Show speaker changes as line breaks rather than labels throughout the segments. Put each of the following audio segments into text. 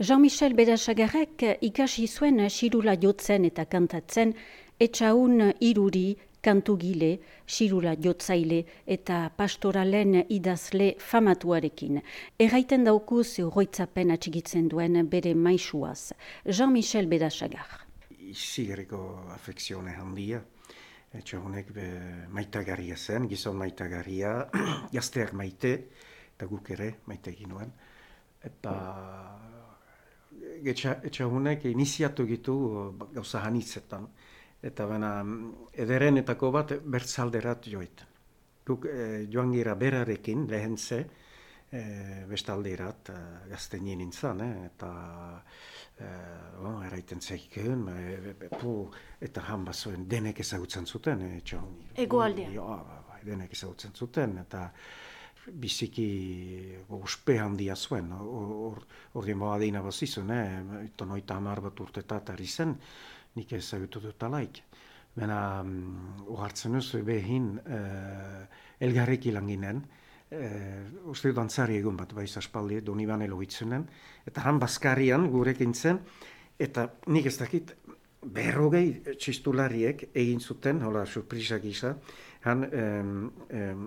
Jean-Michel Bedasagarrek ikasi zuen xirula jotzen eta kantatzen, etxaun iruri, kantugile, xirula jotzaile eta pastoralen idazle famatuarekin. Erraiten daukuz oroitzapen atxigitzen duen bere maisuaz. Jean-Michel Bedasagar.
Izigarriko afekzione handia. Etxaunek maitagarria zen, gizon maitagarria, gazteak maite, eta guk ere maite egin nuen. Eta etxaunek iniziatu gitu gauza hanitzetan. Eta baina ederenetako bat bertzalderat joit. Guk joan gira berarekin lehen ze, bestalderat gaztenien nintzen, eta eraiten zeiken, eta han bazoen denek ezagutzen zuten.
Egoaldean.
Denek ezagutzen zuten, eta biziki uspe handia zuen. Ordien boa deina bazizun, tonoita 10 bat urtetatari zen, nik ezagutu dut alaik. Baina ohartzen ez behin elgarreki lan ginen, uste dut dantzari egun bat baiz aspaldi, Donibane lohitzenen, eta han Baskarian gurekin zen, eta nik ez dakit 50 txistulariek egin zuten, hola surprisa gisa, han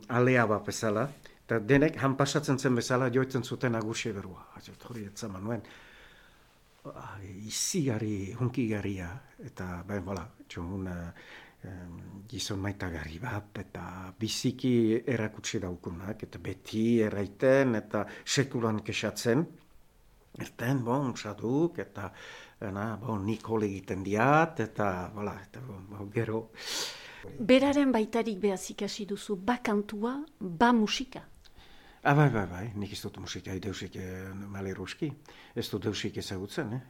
alea bat bezala, eta denek han pasatzen zen bezala joitzen zuten agurxe berua. Hori etzaman nuen. Izigarri, hunkigarria, eta gizon maitagarri bat, eta biziki erakutsi daukunak, eta beti erraiten, eta sekulan kesatzen. Erten, saduk, eta nik hole egiten diat, eta gero.
Beraren baitarik behaz ikasi duzu, ba kantua, ba musika.
Bai, nik ez dut musika, deusik maleruski. Ez dut deusik ezagutzen,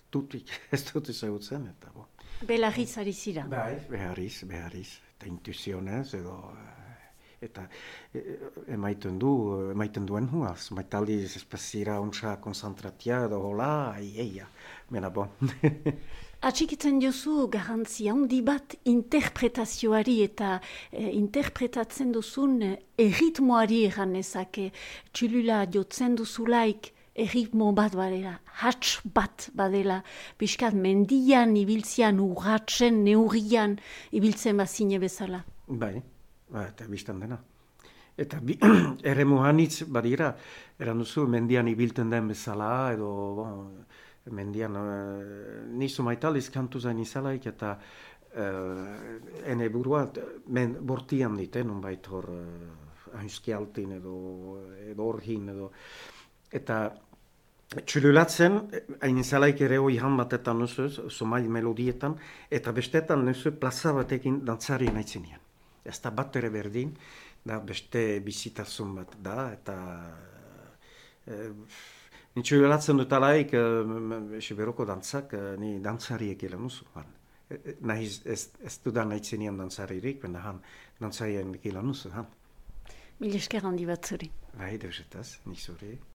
tutik ez dut ezagutzen, eta bo.
Belarriz ari zira.
Bai, behariz, eta intuizionez, eta emaiten duen huaz. Maitaldi espazira ontsa konzentratia, edo hola, mena bon.
Atxikitzen jozu garantzia handi bat interpretazioari eta interpretatzen duzun erritmoari egan ezake. Txulula jotzen duzulaik erritmo bat badela, hats bat badela, biskat mendian ibiltzean, urratzen, neurrian ibiltzen bazine bezala.
Bai, eta biztan dena. Eta erremu hanitz badira, eran duzu mendian ibilten den bezala, edo mendian nizu maitaliz kantu zain izalaik, eta ene burua bortian diten, nonbait hor hainskialtin edo orhin edo. Eta txululatzen, hain izalaik ere hoi han batetan nuzu, somai melodietan, eta bestetan nuzu plaza batekin dantzari nahitzenian. Ez da bat ere berdin, da beste bizitazun bat da, eta ni txululatzen dut alaik, esiberoko dantzak, ni dantzariek ilan nuzu. Ez dudan nahitzenian dantzaririk, baina han dantzarien ilan nuzu.
Mil esker handi bat zuri.
Bai, deusetaz, nik zuri.